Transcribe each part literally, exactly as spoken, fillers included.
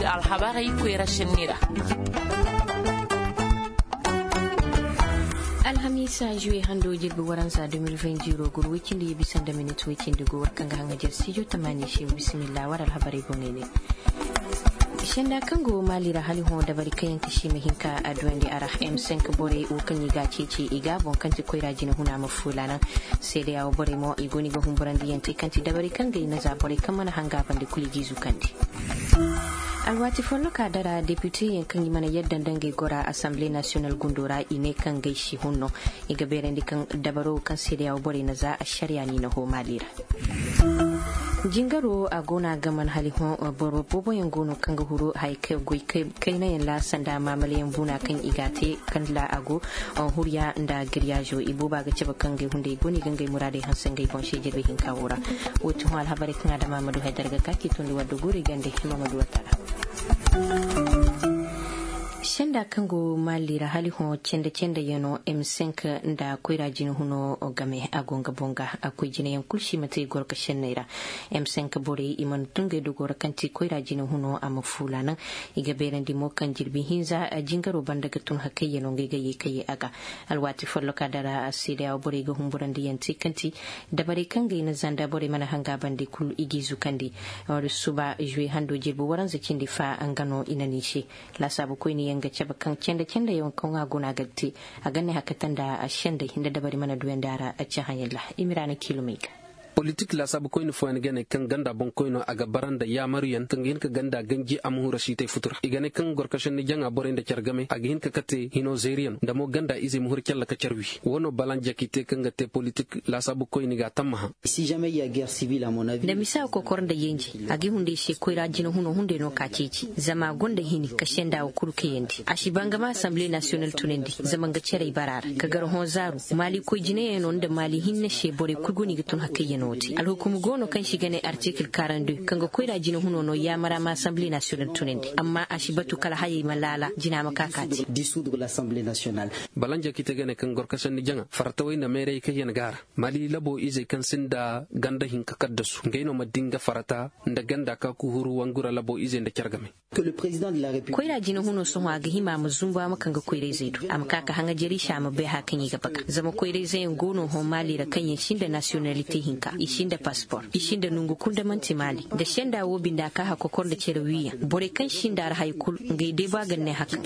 Alhabarey koyra senni ra. Alhamiisa juwe hando jirbi waranza deux mille vingt zéro guru way cindi ye bisa nda minit way cindi go war kaŋ ga haŋajer studio tamaani se. Bisimilla war alhabarey boŋey ne. Senda kaŋ go maali ra hali hõ dabari kaŋ yaŋ ka si ma hin ka a duwandi a ra. M cinq borey wo kaŋ i ga a ceeci i ga boŋ kaŋ ti koyra jina huna ma fuula naŋ. Seedeya wo borey mo i go no i ga humburandi yaŋ te kaŋ ti dabari kaŋ ga i na za borey kaŋ mana hanga bande kulu i g'i zukandi. Alwaati folloka dara depite yaŋ kaŋ i mana yadda nda ngey gora asamble nasiyonal gundo ra i ne kaŋ gay si hunno. I ga beerandi kaŋ dabaro kaŋ seedeya wo borey na za ašariya no i na hõ maali ra. Jingaro a go no a ga man hali hõ. Boro boobo yaŋ go no kaŋ ga huru haya goy kayna yaŋ ra sanda maamala yaŋ buuna kaŋ i ga a te kala a go. Huriya nda giriyaazo i booba ga cabe kaŋ ngey hunday go no i ga ngey muraadey hanse ngey boŋ se jirbi hinka wo ra. Wo ti hõ alhabarey kaŋ a dama ma du haydara ga ka ci tondi wadda guuri gande hima ma du wata ra. Senda kaŋ go maali ra hali hõ cende cende yaŋo m cinq nda koyra jina huno game a go nga boŋ ga a koy jina yaŋ kulu si ma te gorka senney ra. M cinq borey i mana tun ngey dogo ra kaŋ ti koyra jina huno a ma fuula naŋ. I ga beerandi mo kaŋ jirbi hinza jingaro banda ga tun hakay yaŋo ngey ga ye ka ye a ga. Alwaati folloka dara seedeya wo borey ga humburandi yaŋ te kaŋ ti dabarey kaŋ ngey na zanda borey mana hanga bande kulu i g'i zukandi. Suba juwe hando jirbi waranza cindi fa nga no i na ni se. Laasaabu koyne yaŋ ga cabe kaŋ cende cende yaŋ kaŋ a guna ga te a ga ne hakata nda sendey nda dabari mana duyandi a ra. Cahã yaŋ ra i ma ra na kiilumey ga. Politik laasaabu koyne fooyaŋ ga ne kaŋ ganda boŋkoyno a ga bara nda yaamaru yaŋ kaŋ ga hin ka ganda ganji a ma hura siitay futu ra i ga ne kaŋ gorkasanni jaŋa borey nda care game a ga hin ka kate hino zeeri yaŋ nda mo ganda izey ma hura care ra ka care wi. Wo no balanjaki te kaŋ ga te politik laasaabu koyne ga a tammaha. Nda misa ga kokor nda yenje a ga i hunday se koyra jina huno hunday no ka ceeci zama a gonda hini ka senda wo kulu kayandi a si ba nga ma asamble nasiyonal tunandi zama nga carey bara ra ka gar hõ zaaru maali koy jinayaŋo nda maali hinne se borey kulu go no i ga tun hakayyaŋo te alhukumu go no kaŋ si ga ne artikil karandu kaŋ ga koyra jina huno no yaamara ma asamble nasiyonal tunandi amma a si batu kala hayey ma laala jina ma ka ka te. Balanjaki te ga ne kaŋ gorkasanni jaŋa farta way nda meerey kayyan ga a ra. Mali labo izey kaŋ sinda ganda hinka kaddasu ngey no ma di nga farata nda ganda ka kuhuru wangura labo izey nda care game. Koyra jina huno sohõ a ga hima a ma zumbu a ma kaŋ ga koyrayzey do a ma ka ka haŋajer i se a ma bay haya kaŋ i ga baga zama koyrayzey yaŋ go no hõ maali ra kaŋ yaŋ sinda nasiyonalite hinka i sinda paspor i sinda nongu kulu nda manti maali nda senda wo binde a ka hakokor nda care wiiyaŋ borey kaŋ sinda a ra haya kulu ngey day ba ga ne haka.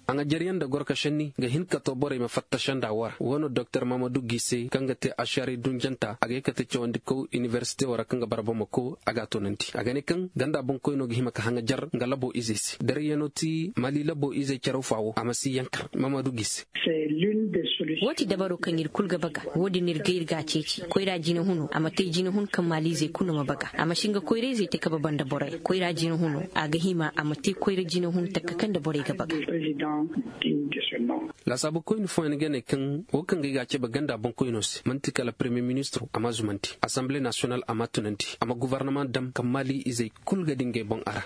A ŋa jaryaŋ nda gorkasanni ga hin ka to borey ma fatta senda wo ra wo no doktor mahamadu gise kaŋ ga te ašari dunjanta a ga ye kate cawandikaw inibersite wo ra kaŋ ga bara bamako a ga a toonandi a ga ne kaŋ ganda boŋkoyno ga hima ka haŋa jar nga labo izey se darayyaŋo ti mali labo izey caraw fa wo a ma si yankar mahamadu gise. Wo ti dabaro kaŋ iri kulu ga baga wo- din iri ga iri ga a ceeci koyra jina huno a ma te jina hun kaŋ maaliizey kulu ma baga a ma si nga koyrayzey te kabe banda borey koyra jina huno a ga hima a ma te koyra jina hun takka kaŋ nda borey ga baga. Laasaabu koyne fooyaŋ ga ne kaŋ wo kaŋ ga ay ga a cabe ganda boŋkoyno se manti kala premiye ministiro a ma a zumandi asamble nasiyonal a ma a tunandi a ma gobornama dam kaŋ maali izey kulu ga di ngey boŋ a ra.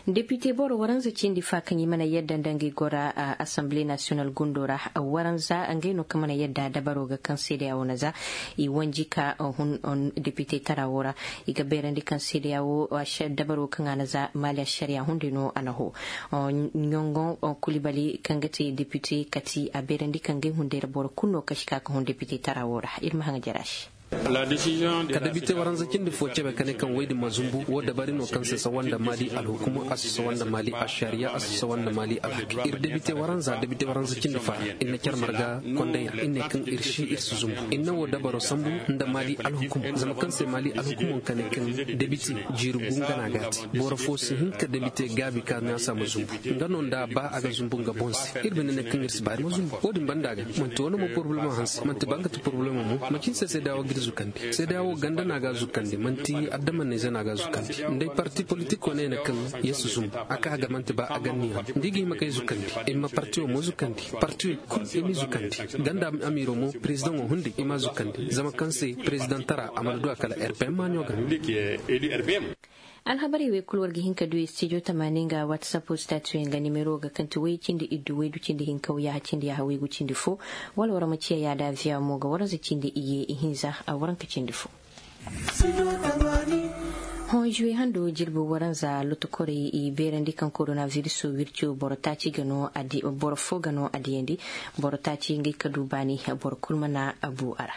Depite boro waranza cindi fa kaŋ i mana yadda nda ngey gora asamble nasiyonal gundo ra waranza ngey no kaŋ mana yadda dabaro ga kaŋ seedeya wo na za i wanji ka hun depite tara wo ra. I ga beerandi kaŋ seedeya wo dabaro kaŋ a na za maali ašariya hunday no a na ho. Ɲongon kulibali kaŋ ga te depite kati a beerandi kaŋ ngey hunday ra boro kulu no kaŋ si ka ka hun depite tara wo ra iri ma haŋa jara se. Ka depite waranza cindi fo cabe ka ne kaŋ woy din ma zumbu wo dabari no kaŋ si sawa nda maali alhukumu a si sawa nda maali ašariya a si sawa nda maali alhaki iri depite waranza depite waranza cindi fa ra iri na care marga konday ra iri ne kaŋ iri si iri si zumbu iri na wo dabaro sambu nda maali alhukumo zama kaŋ se maali alhukumo ka ne kaŋ debite jiiri gu nga no a ga a te boro fo si hin ka debite gaabi ka naasa ma zumbu nga no nda ba a ga zumbu nga boŋ se iri bine ne kaŋ iri si baari ma zumbu wo- din banda ga manti wane mo porobalemo hanse manti ba nga ti porobalemo mo macin se seedeya wo ga iri zukandi seedeya wo ganda no a ga a zukandi manti addamaneyze no a ga a zukandi nda ay parti politik wane ne kaŋ ya si zumbu a ka ga manti ba a ganni yaŋ da i ga hima kay zukandi ay ma parti wo mo zukandi parti wo kulu i m'i zukandi ganda amiiro mo perezidaŋo hunday i m'a zukandi zama kaŋ se perezidaŋ tara a mana du a kala rpm maaɲo ga. Alhabarey wey kulu war ga hin ka du studio tamaani nga whatsapp statuyaŋ ga nimero ga kaŋ ti way cindi iddu waydu cindi hinka wayaaha cindi yaaha waygu cindi fo. Wala war ma ciya yaada aviya mo ga waranza cindi iyye ihinza a waranka cindi fo. Hõ juwe hando jirbi waranza lotokorey i beerandi kaŋ koronaviriso wirco boro taaci ga no a di boro fo ga no a diyandi. Boro taaci ngey ka du baani boro kulu mana bu a ra.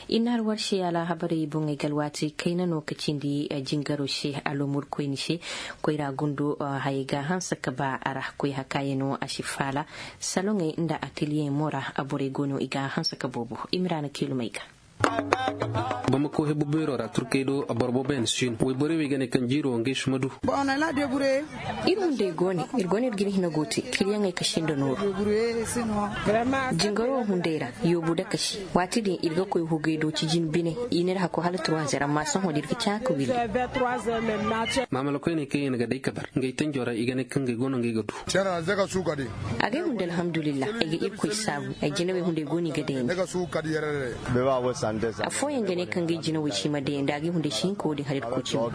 I na alwarse alhabarey boŋey ga alwaati kayna no ka cindi jingaro se alomur koyne se. Koyra gundo hayey ga hanse ka ba a ra koy hakaayano a si faala saloŋey nda ateliyeyaŋ mo ra. Borey go no i ga hanse ka boobo i ma ra na kiilumey ga. Bamako hebu beero ra turkey do boro boobo yaŋ si no wayborey wo i ga ne kaŋ jiiro wo ngey si ma du. Iri hunday go ne iri go ne iri ga iri hina go te kiliyaŋey ka sinda nooru. Jingaro wo hunday ra yoobu dakasi waati din iri ga koy hugay do cijin bine. I ne iri hako hala turwazer amma sohõ da iri ga caa ka wille. Maamala koyney kaŋ yaŋ ga day ka bar ngey tanjo ra i ga ne kaŋ ngey go no ngey ga du. Agay hunday alhamdulillah ay ga irkoy saabu ay jinawey hunday go no i ga dayandi. Afooyaŋ ga ne kaŋ ga ay jinawey si ma dayandi agay hunday si hin ka wo- din hala irkoy cimi.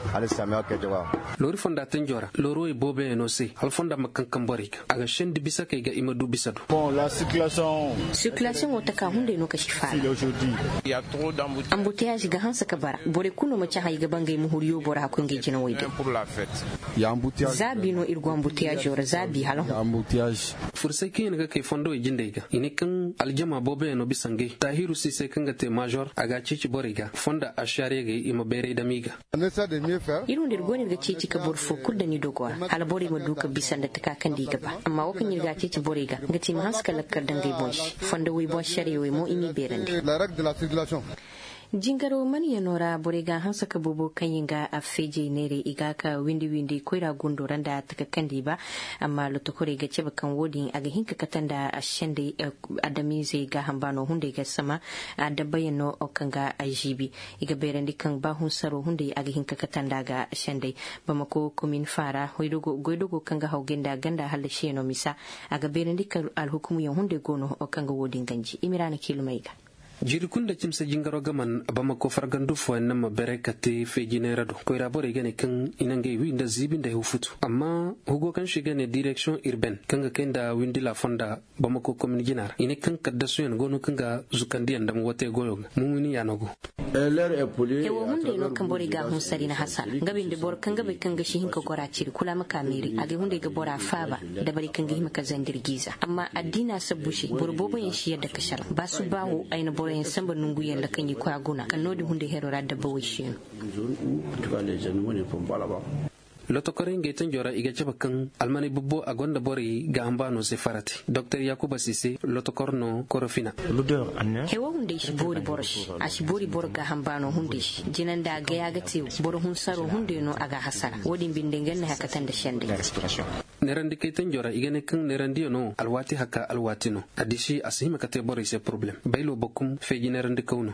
Loori fonda tanjo ra loori way booboyaŋo se hala fonda ma kaŋ kaŋ borey ga a ga sendi bisa kay ga i ma du bisa du. Sirkilasiyoŋo taka hunday no ka si faala. Ambuteyaazi ga hanse ka bara borey kulu no ma cahã i ga ba ngey ma huru yoobo ra hakkoy ngey jinawey day. Zaabi no iri go ambuteyaazo ra zaabi hala hõ. Fursay kaŋ yaŋ ga kay fondowey jindey ga i ne kaŋ aljama booboyaŋ no bisa ngey taahiru siisay kaŋ ga te maazor a ga a ceeci borey ga fonda ašaariyagey i ma bayray dama i ga. Iri hunday iri go no iri ga ceeci ka boro fo kulu daŋ i dogo ra hala borey ma du ka bisa nda taka kaŋ da i ga ba amma wo kaŋ iri ga a ceeci borey ga nga te i ma hanse ka lakkal daŋ ngey boŋ se fondo way boŋ sariyawey mo i m'i beerandi. Jingaro maniyano ra borey ga hanse ka boobo kaŋ yaŋ ga a feejey neeray i ga ka windi windi koyra gundo ra nda taka kaŋ da i ba. Amma lotokorey ga cabe kaŋ wo- din a ga hin ka kate nda sendey adamiizey gaaham baano hunday ga sama. Adabbayaŋ no kaŋ ga a ziibi i ga bayrandi kaŋ ba hunsaro hunday a ga hin ka kate nda ga sendey. Bamako komin faara goydogo kaŋ ga hawgay nda ganda hallasiyaŋo misa a ga bayrandi kaŋ alhukumuyaŋ hunday go no kaŋ ga wo- din ganji i ma ra na kiilumey ga. Jiiri kulu nda cimse jingaro ga man bamako fargandu fooyaŋ naŋ ma beeray ka te feejinay ra do koyra borey ga ne kaŋ i na ngey wi nda ziibi nda hewfutu amma hugo kaŋ se i ga ne direksiyoŋ irben kaŋ ga kay nda windila fonda bamako komin jina ra i ne kaŋ kaddasuyaŋ go no kaŋ ga zukandiyaŋ dama wate goyo ga mumuni yaano go. Hewo hunday no kaŋ borey ga a hunsari na hasara nga binde boro kaŋ ga bay kaŋ ga si hin ka gora ciri kula ma ka meeri agay hunday ga bora faaba. Dabari kaŋ ga hima ka zandir giiza amma addiina sabbu se boro boobo yaŋ si yadda ka saraŋ ba subbaawo ay na boro yaŋ samba nongu yaŋ ra kaŋ i koy a guna kala no- din hunday hero ra dabba way se no. Lotokorey ngey tanjo ra i ga cabe kaŋ almaney bubbo a gonda borey gaaham baano se farate doktor yakuba si se lotokor no korofina. Hewo hunday si boori boro se a si boori boro gaaham baano hunday se jina nda gaya ga te wo boro hunsaro hunday no a ga a hasara wo- din binde nga ni haka tanda sendey. Neerandi kay tanjo ra i ga ne kaŋ neerandiyano alwaati haka alwaati no. Addiisi a si hima ka te borey se poroblem baylo bokum feeji neerandi kaw no.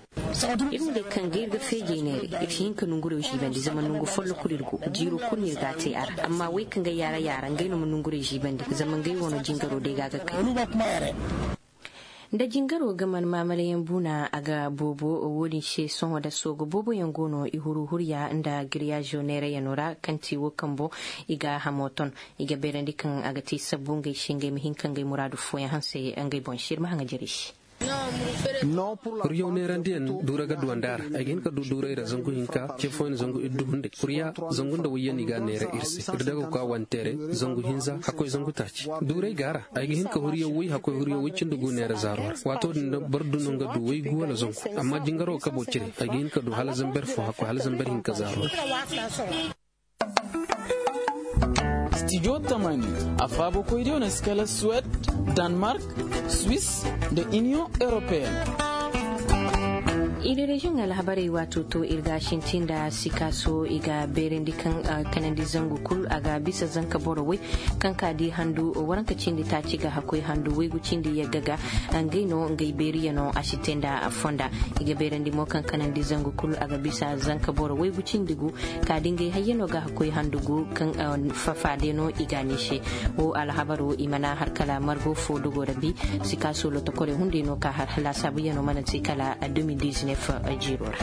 Iri hunday kaŋ ga iri ga feejey neeray iri si hin ka nongurey ziibandi zama nongu follo kulu iri go jiiro kulu no iri ga a te a ra amma wey kaŋ ga yaara yaara ngey no ma nongurey ziibandi zama ngey wano jingaro day ga a ga kay. Nda jingaro ga man maamalayaŋ buuna a ga boobo wo- din se sohõ da soogo boobo yaŋ go no i huru hurya nda giriyaazo neerayano ra kaŋ ti wo kambo i ga hamo ton. I ga beerandi kaŋ a ga te sabbu ngey se ngey ma hin ka ngey muraadu fooyaŋ hanse ngey boŋ se iri ma haŋajerey se. Huryaw neerandiyaŋ duura ga duwandi a ra ay ga hin ka du duuray ra zangu hinka ce fooyaŋ zangu iddu hunday hurya zangu nda wayyaŋ i ga a neera iri se iri daga kwa wanteeray zangu hinza hakkoy zangu taaci duuray ga a ra. Ay ga hin ka huryaw way hakkoy huryaw way cindi gu neera zaaro ra waato din boro du no nga du way gu wala zangu. Amma jingaro kabo cire ay ga hin ka du hala zamber fo hakkoy hala zamber hinka zaaro ra. Studio tamani a faabo koydiyo na si kala suwed, danmark, swiss, nda union europeen. Iri reziyoŋ alhabarey waato to iri ga a sinti nda sikaaso i ga beerandi kaŋ kanandi zangu kulu a ga bisa zanka boro way kaŋ ka di handu waranka cindi taaci ga hakkoy handu waygu cindi yagga ga. Ngey no ngey beeriyano a si te nda fonda. I ga beerandi mo kaŋ kanandi zangu kulu a ga bisa zanka boro waygu cindi gu ka di ngey hayyano ga hakkoy handu gu kaŋ fafaadeno i ga a ne se. Wo alhabaro i mana har kala margo fo dogo rabi. Sikaaso lotokorey hunday no ka har laasaabuyaŋo mana te kala deux mille dix-neuf. Jiiro ra.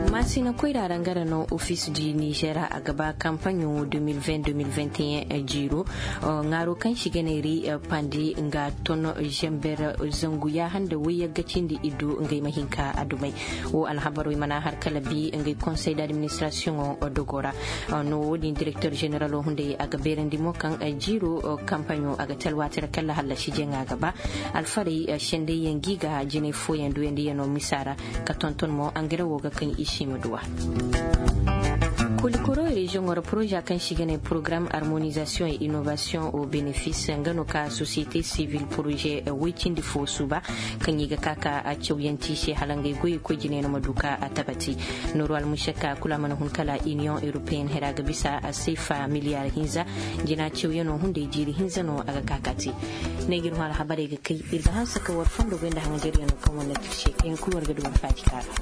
Maasina koyra ra nga ra no ofis di nizer a ga ba kampaɲo deux mille vingt deux mille vingt et un jiiro. Ŋaaro kaŋ si ga ne ri pandi nga ton zember zangu yaaha nda wayyagga cindi iddu ngey ma hinka a dumey. Wo alhabarey mana har kala bi ngey konsey d'administrasiyoŋo dogo ra. No wo- din direkter zeneralo hunday a ga beerandi mo kaŋ jiiro kampaɲo a ga te alwaati ra kala hallasi jaŋa ga ba. Alfarey sendayyaŋ gi ga jinay fooyaŋ duyandiyaŋo misa ra ka tonton mo angare wo ga kaŋ i si ma duwa. Kolikoro reziyoŋo ra poroza kaŋ si ga ne porogaram harmonizasiyoŋ e innovasiyoŋ o benefis nga no ka sosiyete sivil poroze woy cindi fo suuba kaŋ i ga ka ka cawyanti se hala ngey goyey koy jinay no ma du ka a tabati. Nooru almusakka kulu a mana hun kala iniyoŋ europeyen hera ga bisa a seefa miliyar hinza. Jina cawyaŋo hunday jiiri hinza no a ga ka ka te. Ne ga iri hõ alhabarey ga kay iri ga hanse ka war fondo goy nda hanganjaryaŋo kaŋ wane tirse kaŋ yaŋ kulu war ga du war faaji kaara.